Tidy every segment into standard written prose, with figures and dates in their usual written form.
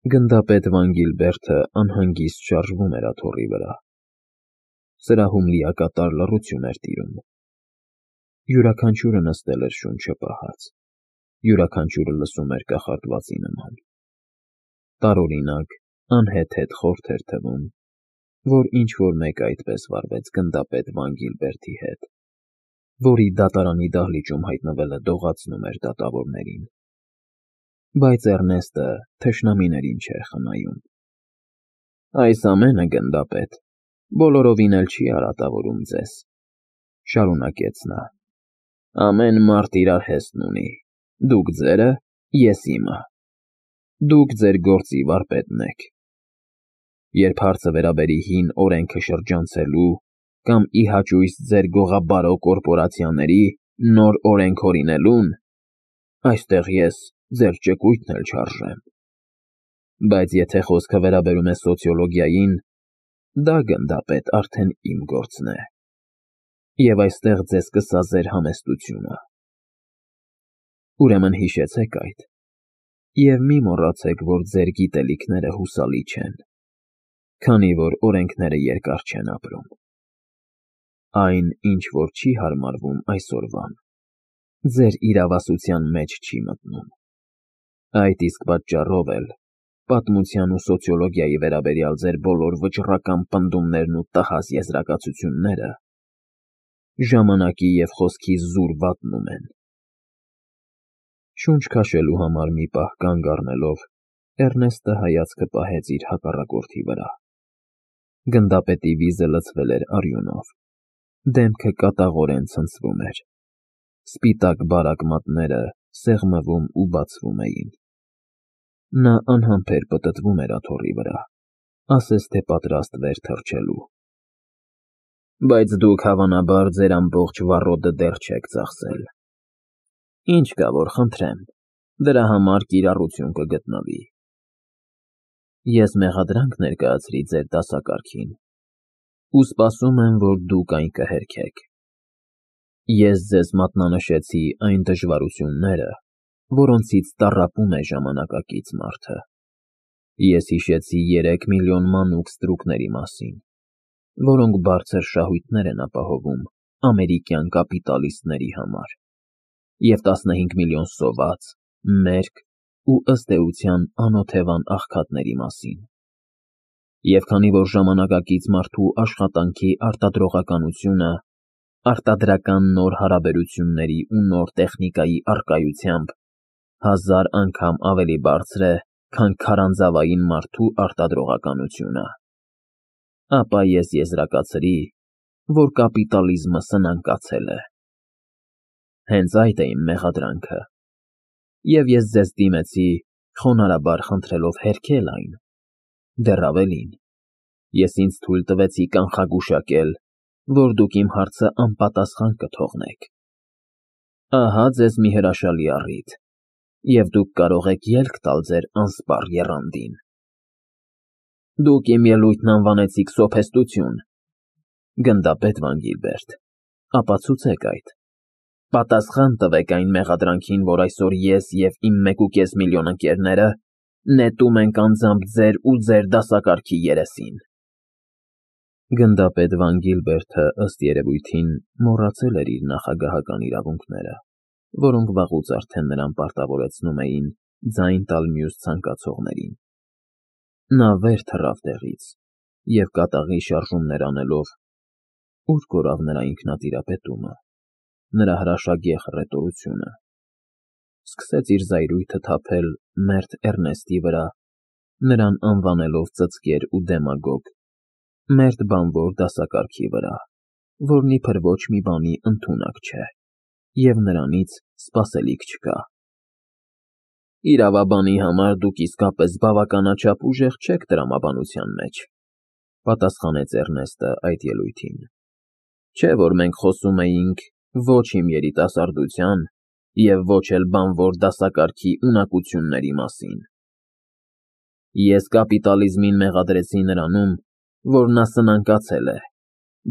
Գնդապետ Վան Գիլբերտը անհանգիստ շարժվում էր աթոռի վրա։ Սրահում լիակատար լռություն էր տիրում։ Յուրաքանչյուրը նստել էր շունչը պահած, յուրաքանչյուրը լսում էր կախարդվածի նման։ Տարօրինակ, անհեթեթ խորթ էր թվում, որ ինչ-որ մեկը այդպես վարվեց գնդապետ Վան Գիլբերտի հետ, որի դատարանի դահլիճում հայտնվելը դողացնում էր դատավորներին։ Բայց Էռնեստը թշնամիներին չէր խնայում։ Այս ամենը, գնդապետ, բոլորովին էլ չի արատավորում ձեզ, շարունակեց նա։ Ամեն մարդ իրար հեստն ունի, դուք ձերը, ես իմը։ Դուք ձեր գործի վարպետն եք։ Երբ հարցը վերաբերի հին օրենքը շրջանցելու կամ ի հաճույս ձեր գողաբարո կորպորացիաների նոր օրենք հորինելուն, այստեղ ես ձեր ճկույթն էլ չարժեմ։ Բայց եթե խոսքը վերաբերում է սոցիոլոգիային, դա, գնդապետ, արդեն իմ գործն է։ Եվ այստեղ ձեզ կսազեր համեստությունը։ Ուրեմն հիշեցեք այդ, և մի մոռացեք, որ ձեր գիտելիքները հուսալի չեն, քանի որ օրենքները երկար չեն ապրում։ Այն, ինչ որ չի հարմարվում այսօրվան, ձեր իրավասության մեջ չի մտնում։ Այդ իսկ պատճառով էլ պատմության ու սոցիոլոգիայի վերաբերյալ ձեր բոլոր վճռական պնդումներն ու տհաս եզրակացությունները ժամանակի և խոսքի զուր վատնում են։ Շունչ քաշելու համար մի պահ կանգ առնելով, Էռնեստը հայացքը պահեց իր հակառակորդի վրա։ Գնդապետի վիզը լցվել էր արյունով, դեմքը կատաղորեն ցնցվում էր, սպիտակ բարակ մատները սեղմվում ու բացվում էին։ Նա անհամբեր պտտվում էր աթոռի վրա, ասես թե պատրաստվեր թռչելու։ Բայց դուք հավանաբար ձեր ամբողջ վառոդը դեռ չեք ծախսել։ Ինչ կա, որ խնդրեմ, դրա համար կիրառություն կգտնվի։ Ես մեղադրանք ներկայացրի ձեր դասակարգին ու սպասում եմ, որ դուք այն կհերքեք։ Ես ձեզ մատնանշեցի այն դժվարությունները, որոնցից տառապում է ժամանակակից մարդը։ Ես հիշեցի 3 միլիոն մանուկ ստրուկների մասին, որոնք բարձր շահույթներ են ապահովում ամերիկյան կապիտալիստների համար, և 15 միլիոն սոված, մերկ ու ըստ էության անօթևան աղքատների մասին։ Եվ քանի որ ժամանակակից մարդու աշխատանքի արտադրողականությունը արտադրական նոր հարաբերությունների ու նոր տեխնիկայի առկայությամբ 1000 անգամ ավելի բարձր է, քան քարանձավային մարդու արտադրողականությունը, ապա ես եզրակացրի, որ կապիտալիզմը սնանկացել է։ Հենց այդ է իմ մեղադրանքը, և ես ձեզ դիմեցի խոնարհաբար խնդրելով հերքել այն։ Դեռ ավելին, ես ինձ թույլ տվեցի կանխագուշակել, որ դուք իմ հարցը անպատասխան կթողնեք։ Ահա ձեզ մի հրաշալի առիթ, և դուք կարող եք ելք տալ ձեր անսպառ եռանդին։ Դուք իմ ելույթն անվանեցիք սոփեստություն, գնդապետ Վան Գիլբերտ, ապացուցեք այդ։ Պատասխան տվեք այն մեղադրանքին, որ այսօր ես և իմ 1.5 միլիոն ընկերները նետում ենք անձամբ ձեր ու ձեր դասակարգի երեսին։ Գնդապետ Վան Գիլբերտը, ըստ երևույթին, մոռացել էր իր նախագահական իրավունքները, որոնք վաղուց արդեն նրան պարտավորեցնում էին ձայն տալ մյուս ցանկացողներին։ Նա վեր թռավ տեղից և կատաղի շարժումներ անելով (ուր կորավ նրա ինքնատիրապետումը, նրա հրաշագեղ հռետորությունը) սկսեց իր զայրույթը թափել մերթ Էռնեստի վրա, նրան անվանելով ծծկեր ու դեմագոգ, մերթ բանվոր դասակարգի վրա, որն իբր ոչ մի բանի ընդունակ չէ, և նրանից սպասելիք չկա։ Իրավաբանի համար դուք իսկապես բավականաչափ ուժեղ չեք տրամաբանության մեջ, պատասխանեց Էռնեստը այդ ելույթին։ Չէ՞ որ մենք խոսում էինք ոչ իմ երիտասարդության և ոչ էլ բանվոր դասակարգի ունակությունների մասին։ Ես կապիտալիզմին մեղադրեցի նրանում, որ նա սնանկացել է,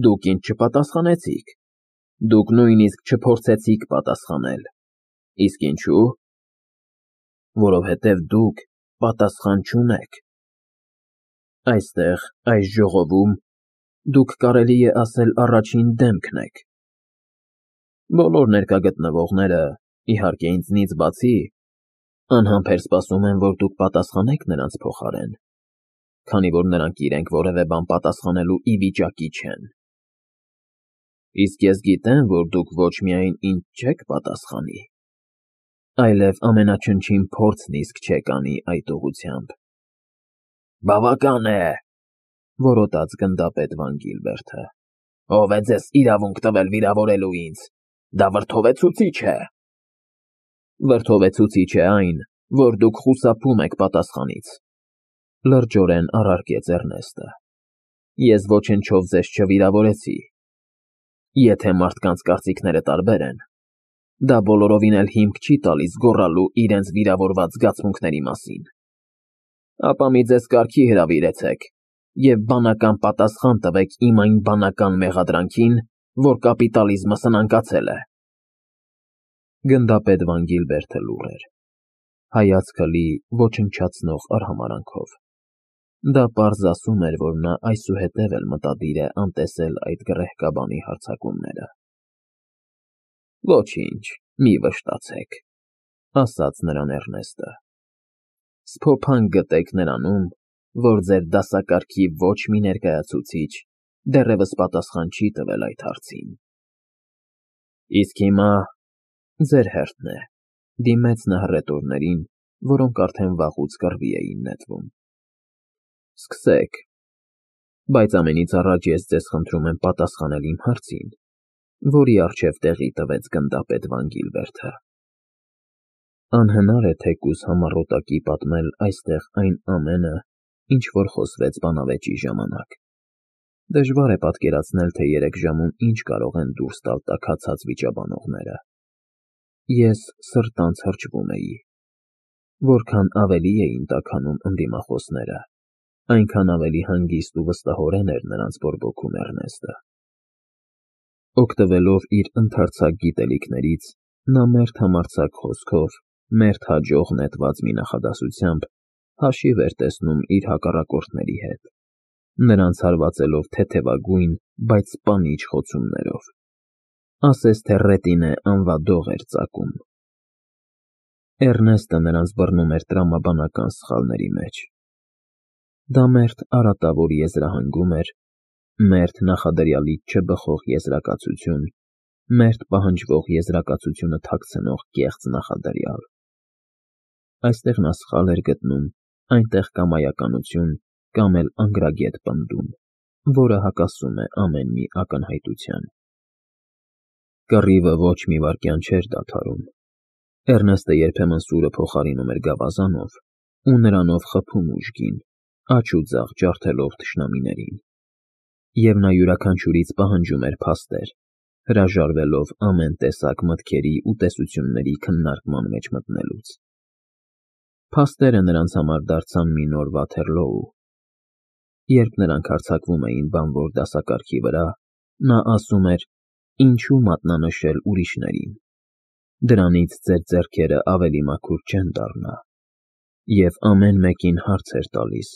դուք ինձ չպատասխանեցիք, դուք նույնիսկ չփորձեցիք պատասխանել։ Իսկ ինչու՞։ Որովհետև դուք պատասխան չունեք։ Այստեղ, այս ժողովում, դուք կարելի է ասել առաջին դեմքն եք։ Բոլոր ներկա գտնվողները, իհարկե ինձնից բացի, անհամբեր սպասում են, որ դուք պատասխանեք նրանց փոխարեն, քանի որ նրանք իրենք որևէ բան պատասխանելու ի վիճակի չեն։ Իսկ ես գիտեմ, որ դուք ոչ միայն ինձ չեք պատասխանի, այլև ամենաչնչին փորձն իսկ չեք անի այդ ուղղությամբ։ Բավական է, որոտաց գնդապետ Վան Գիլբերտը։ Ով է ձեզ իրավունք տվել վիրավորելու ինձ։ Դա վրդովեցուցիչ է։ Վրդովեցուցիչ է այն, որ դուք խուսափում եք պատասխանից, լրջորեն առարկեց Էրնեստը։ Ես ոչնչով ձեզ չվիրավորեցի։ Եթե մարդկանց կարծիքները տարբեր են, դա բոլորովին էլ հիմք չի տալիս գոռալու իրենց վիրավորված զգացմունքների մասին։ Ապա մի ձեզ կարգի հրավիրեցեք և բանական պատասխան տվեք իմ այն բանական մեղադրանքին, որ կապիտալիզմը սնանկացել է։ Գնդապետ Վան Գիլբերտը լուռ էր, հայացքը լի ոչնչացնող արհամարանքով։ Դա պարզ ասում էր, որ նա այսուհետև էլ մտադիր է անտեսել այդ գռեհկաբանի հարձակումները։ Ոչինչ, մի վշտացեք, ասաց նրան Էրնեստը։ Սփոփանք գտեք նրանում, որ ձեր դասակարգի ոչ մի ներկայացուցիչ դեռևս պատասխան չի տվել այդ հարցին։ Իսկ հիմա ձեր հերթն է, դիմեց նա հռետորներին, որոնք արդեն վաղուց կռվի էին նետվում։ Սկսեք, բայց ամենից առաջ ես ձեզ խնդրում եմ պատասխանել իմ հարցին, որի առջև տեղի տվեց գնդապետ Վան Գիլբերտը։ Անհնար է թեկուզ համառոտակի պատմել այստեղ այն ամենը, ինչ որ խոսվեց բանավեճի ժամանակ։ Դժվար է պատկերացնել, թե 3 ժամում ինչ կարող են դուրս տալ տաքացած վիճաբանողները։ Ես սրտանց հրճվում էի։ Որքան ավելի էին տաքանում ընդդիմախոսները, այնքան ավելի հանգիստ ու վստահորեն էր նրանց բորբոքում Էրնեստը։ Օգտվելով իր ընդարձակ գիտելիքներից, նա մերթ համարձակ խոսքով, մերթ հաջող նետված մի նախադասությամբ հաշիվ էր տեսնում իր հակառակորդների հետ, նրանց հարվածելով թեթևագույն, բայց սպանիչ խոցումներով։ Ասես թե Ռետինե անվադող էր ծակում։ Էրնեստը նրանց բռնում էր տրամաբանական սխալների մեջ։ Դա մերթ արատավոր եզրահանգում էր, մերթ նախադրյալից չբխող եզրակացություն, մերթ պահանջվող եզրակացությունը թաքցնող կեղծ նախադրյալ։ Այստեղ նա սխալ էր գտնում, այնտեղ կամայականություն կամ էլ անգրագետ պնդում, որը հակասում է ամեն մի ակնհայտության։ Կռիվը ոչ մի վայրկյան չէր դադարում։ Էրնեստը երբեմն սուրը փոխարինում էր գավազանով ու նրանով խփում ուժգին, աջ ու ձախ ջարդելով թշնամիներին։ Եվ նա յուրաքանչյուրից պահանջում էր փաստեր, հրաժարվելով ամեն տեսակ մտքերի ու տեսությունների քննարկման մեջ մտնելուց։ Փաստերը նրանց համար դարձան մի նոր Վաթերլոու։ Երբ նրանք հարձակվում էին բանվոր դասակարգի վրա, նա ասում էր. «Ինչու մատնանշել ուրիշներին։ Դրանից ձեր ձեռքերը ավելի մաքուր չեն դառնա»։ Եվ ամեն մեկին հարց էր տալիս.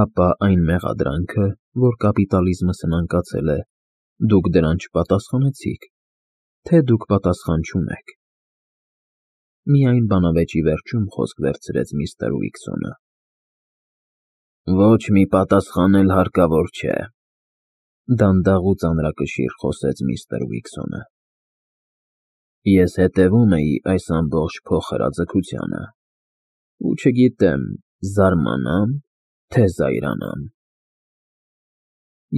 «Ապա այն մեղադրանքը, որ կապիտալիզմը սնանկացել է, դուք դրան չպատասխանեցիք, թե դուք պատասխան չունեք»։ Միայն բանավեճի վերջում խոսք վերցրեց միստր Ուիքսոնը։ Ոչ մի պատասխան էլ հարկավոր չէ, դանդաղ ու ծանրակշիռ խոսեց միստր Ուիքսոնը։ Ես հետևում էի այս ամբողջ փոխհրաձգությանը, ու չգիտեմ, զարմանամ, թե զայրանամ։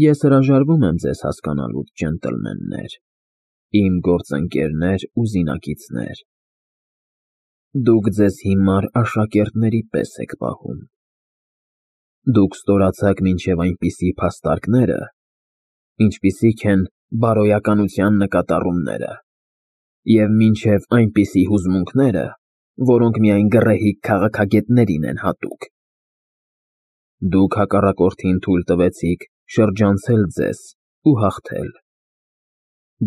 Ես հրաժարվում եմ ձեզ հասկանալուց, ջենտլմեններ, իմ գործընկերներ ու զինակիցներ։ Դուք ձեզ հիմար աշակերտների պես եք պահում։ Դուք ստորացաք մինչև այնպիսի փաստարկները, ինչպիսիք են բարոյականության նկատառումները, և մինչև այնպիսի հուզմունքները, որոնք միայն գռեհիկ քաղաքագետներին են հատուկ։ Դուք հակառակորդին թույլ տվեցիք շրջանցել ձեզ ու հաղթել։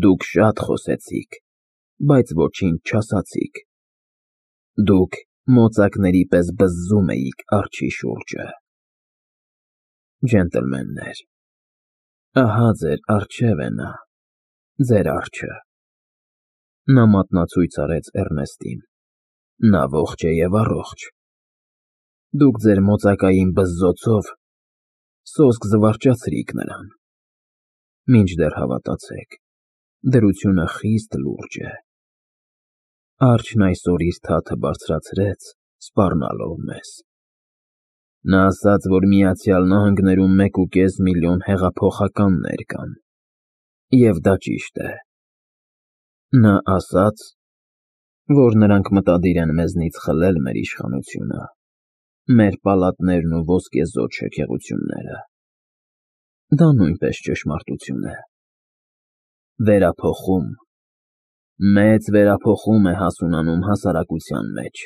Դուք շատ խոսեցիք, բայց ոչինչ չասացիք։ Դուք մոծակների պես բզզում էիք արջի շուրջը։ Ջենտլմեններ, ահա ձեր առջև է նա, ձեր արջը։ Նա մատնացույց արեց Էռնեստին։ Նա ողջ է և առողջ։ Դուք ձեր մոծակային բզզոցով սոսկ զվարճացրիք նրան։ Մինչդեռ հավատացեք, դրությունը խիստ լուրջ է։ Արջն այսօր իր թաթը բարձրացրեց, սպառնալով մեզ։ Նա ասաց, որ Միացյալ Նահանգներում 1.5 միլիոն հեղափոխականներ կան, և դա ճիշտ է։ Նա ասաց, որ նրանք մտադիր են մեզնից խլել մեր իշխանությունը, մեր պալատներն ու ոսկեզօծ շքեղությունները։ Դա նույնպես ճշմարտություն է։ Վերափոխում, մեծ վերափոխում է հասունանում հասարակության մեջ։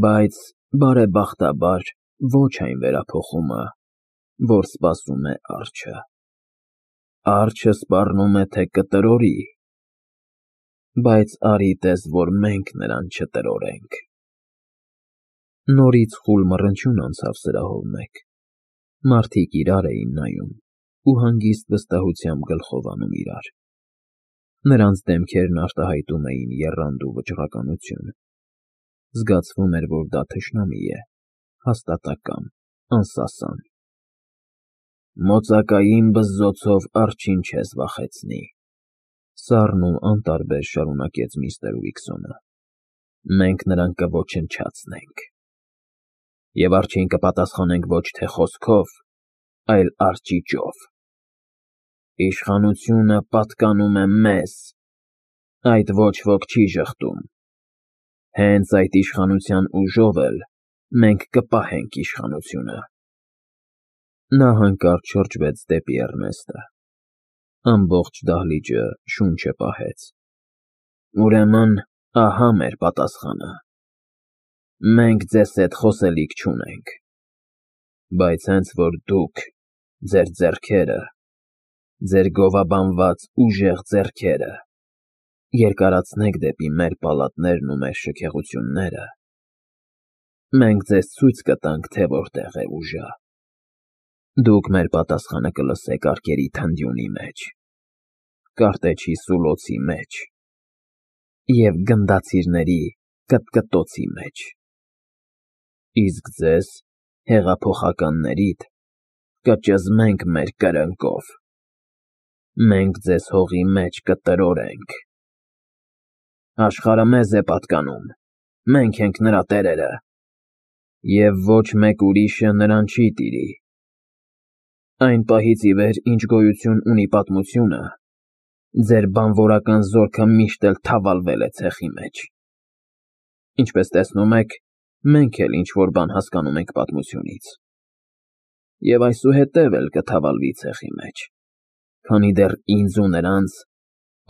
Բայց, բարեբախտաբար, ոչ այն վերափոխումը, որ սպասում է արջը։ Արջը սպառնում է, թե կտրորի, բայց արի տես, որ մենք նրան չտրորենք։ Նորից խուլ մռնչյուն անցավ սրահով մեկ։ Մարդիկ իրար էին նայում ու հանգիստ վստահությամբ գլխով անում իրար։ Նրանց դեմքերն արտահայտում էին եռանդու վճռականություն։ Զգացվում էր, որ դա թշնամի է, հաստատակամ, անսասան։ Մոծակային բզզոցով արջին չես վախեցնի, սառն ու անտարբեր շարունակեց միստր Ուիքսոնը։ Մենք նրան կոչնչացնենք։ Եվ արջին կպատասխանենք ոչ թե խոսքով, այլ արջիճով։ Իշխանությունը պատկանում է մեզ, այդ ոչ ոք չի ժխտում։ Հենց այդ իշխանության ուժով էլ մենք կպահենք իշխանությունը։ Նա հանկարծ շրջվեց դեպի Էռնեստը։ Ամբողջ դահլիճը շունչը պահեց։ Ուրեմն, ահա մեր պատասխանը։ Մենք ձեզ հետ խոսելիք չունենք, բայց հենց որ դուք, ձեր ձեռքերը, ձեր գովաբանված ուժեղ ձեռքերը, երկարացնեք դեպի մեր պալատներն ու մեր շքեղությունները, մենք ձեզ ցույց կտանք, թե որտեղ է ուժը։ Դուք մեր պատասխանը կլսեք արկերի թնդյունի մեջ, կարտեչի սուլոցի մեջ և գնդացիրների կտկտոցի մեջ։ Իսկ ձեզ, հեղափոխականներիդ, կճզմենք մեր կրնկով։ Մենք ձեզ հողի մեջ կտրորենք։ Աշխարհը մեզ է պատկանում, մենք ենք նրա տերերը, և ոչ մեկ ուրիշը նրան չի տիրի։ Այն պահից ի վեր, ինչ գոյություն ունի պատմությունը, ձեր բանվորական զորքը միշտ էլ թավալվել է ցեխի մեջ։ Ինչպես տեսնում եք, մենք էլ ինչ-որ բան հասկանում ենք պատմությունից։ Եվ այսուհետև էլ կթավալվի ցեխի մեջ, քանի դեռ ինձ ու նրանց,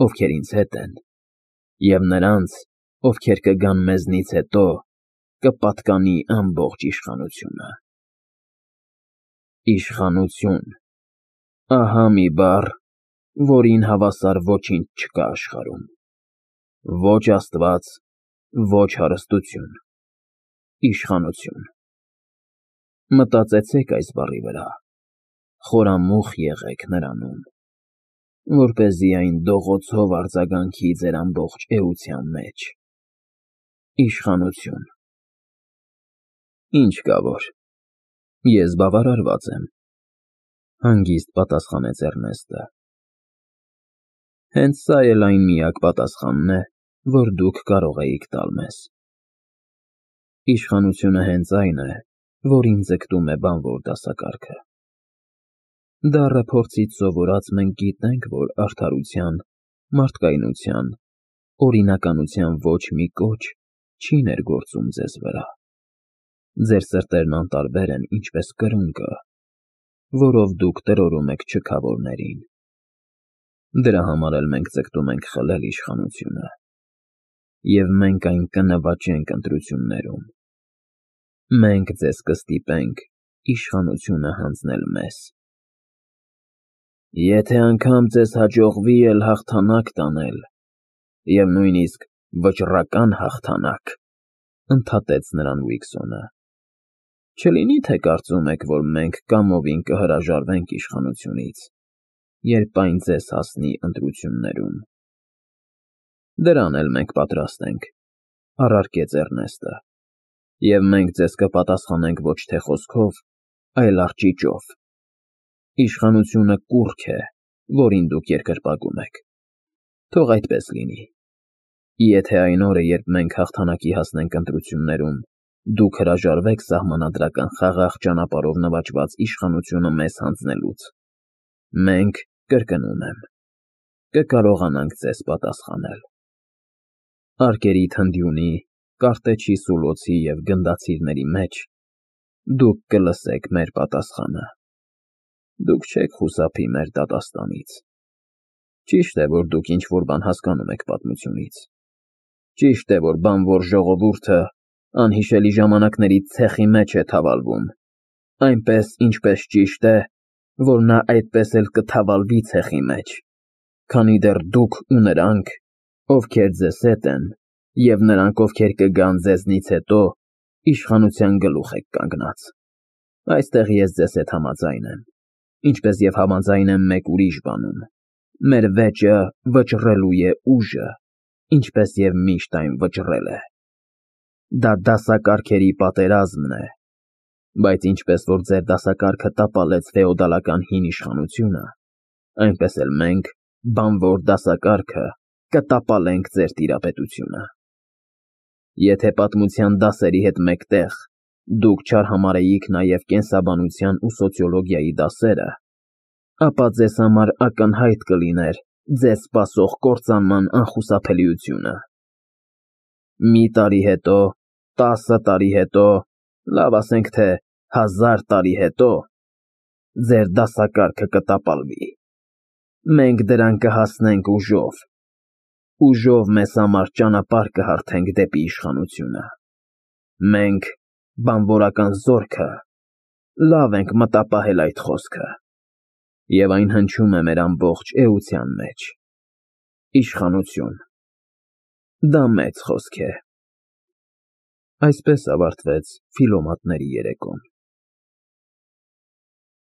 ովքեր ինձ հետ են, և նրանց, ովքեր կգան մեզնից հետո, կպատկանի ամբողջ իշխանությունը։ Իշխանություն, ահա մի բառ, որին հավասար ոչինչ չկա աշխարհում։ Ոչ Աստված, ոչ հարստություն։ Իշխանություն։ Մտածեցեք այս բառի վրա, խորամուխ եղեք նրանում, որպեսզի այն դողոցով արձագանքի ձեր ամբողջ էության մեջ։ Իշխանություն։ Ինչ կա որ, ես բավարարված եմ, հանգիստ պատասխանեց Էռնեստը։ Հենց սա էլ այն միակ պատասխանն է, որ դուք կարող էիք տալ մեզ։ Իշխանությունը հենց այն է, որին ձգտում է բանվոր դասակարգը։ Դառը փորձից սովորած մենք գիտենք, որ արդարության, մարդկայնության, օրինականության ոչ մի կոչ չի ներգործում ձեզ վրա։ Ձեր սրտերն անտարբեր են, ինչպես կրունկը, որով դուք տրորում եք չքավորներին։ Դրա համար էլ մենք ձգտում ենք խլել իշխանությունը, և մենք այն կնվաճենք ընտրություններում։ Մենք ձեզ կստիպենք իշխանությունը հանձնել մեզ։ Եթե անգամ ձեզ հաջողվի էլ հաղթանակ տանել, և նույնիսկ վճռական հաղթանակ, ընդհատեց նրան Ուիքսոնը։ Չլինի թե կարծում եք, որ մենք կամովին կհրաժարվենք իշխանությունից, երբ այն ձեզ հասնի ընտրություններում։ Դրան էլ մենք պատրաստ ենք, առարկեց Էռնեստը, և մենք ձեզ կպատասխանենք ոչ թե խոսքով, այլ արճիճով։ Իշխանությունը կուռք է, որին դուք երկրպագում եք։ Թող այդպես լինի։ Եթե այն օրը, երբ մենք հաղթանակի հասնենք ընտրություններում, դուք հրաժարվեք սահմանադրական խաղաղ ճանապարհով նվաճված իշխանությունը մեզ հանձնելուց, մենք, կրկնում եմ, կկարողանանք ձեզ պատասխանել։ Արկերի թնդյունի, կարտեչի սուլոցի և գնդացիրների մեջ դուք կլսեք մեր պատասխանը։ Դուք չեք խուսափի մեր դատաստանից։ Ճիշտ է, որ դուք ինչ-որ բան հասկանում եք պատմությունից։ Ճիշտ է, որ բանվոր ժողովուրդը անհիշելի ժամանակների ցեխի մեջ է թավալվում, այնպես, ինչպես ճիշտ է, որ նա այդպես էլ կթավալվի ցեխի մեջ, քանի դեռ դուք ու նրանք, ովքեր ձեզ հետ են, և նրանք, ովքեր կգան ձեզնից հետո, իշխանության գլուխ եք կանգնած։ Այստեղ ես ձեզ հետ համաձայն եմ, ինչպես և համաձայն եմ մեկ ուրիշ բանում. մեր վեճը վճռելու է ուժը, ինչպես և միշտ այն վճռել է։ Դա դասակարգերի պատերազմն է, բայց ինչպես որ ձեր դասակարգը տապալեց ֆեոդալական հին իշխանությունը, այնպես էլ մենք, բանվոր դասակարգը, կտապալենք ձեր տիրապետությունը։ Եթե պատմության դասերի հետ մեկտեղ դուք չարհամարհեիք նաև կենսաբանության ու սոցիոլոգիայի դասերը, ապա ձեզ համար ակնհայտ կլիներ ձեզ սպասող կործանման անխուսափելիությունը։ Մի տարի հետո, 10 տարի հետո, լավ ասենք թե 1000 տարի հետո, ձեր դասակարգը կտապալվի։ Մենք դրան կհասնենք ուժով։ Ուժով մեզ համար ճանապարհ կհարթենք դեպի իշխանությունը։ Մենք, բանվորական զորքը, լավ ենք մտապահել այդ խոսքը, և այն հնչում է մեր ամբողջ էության մեջ։ Իշխանություն։ Դա մեծ խոսք է։ Այսպես ավարտվեց Ֆիլոմատների երեկոն։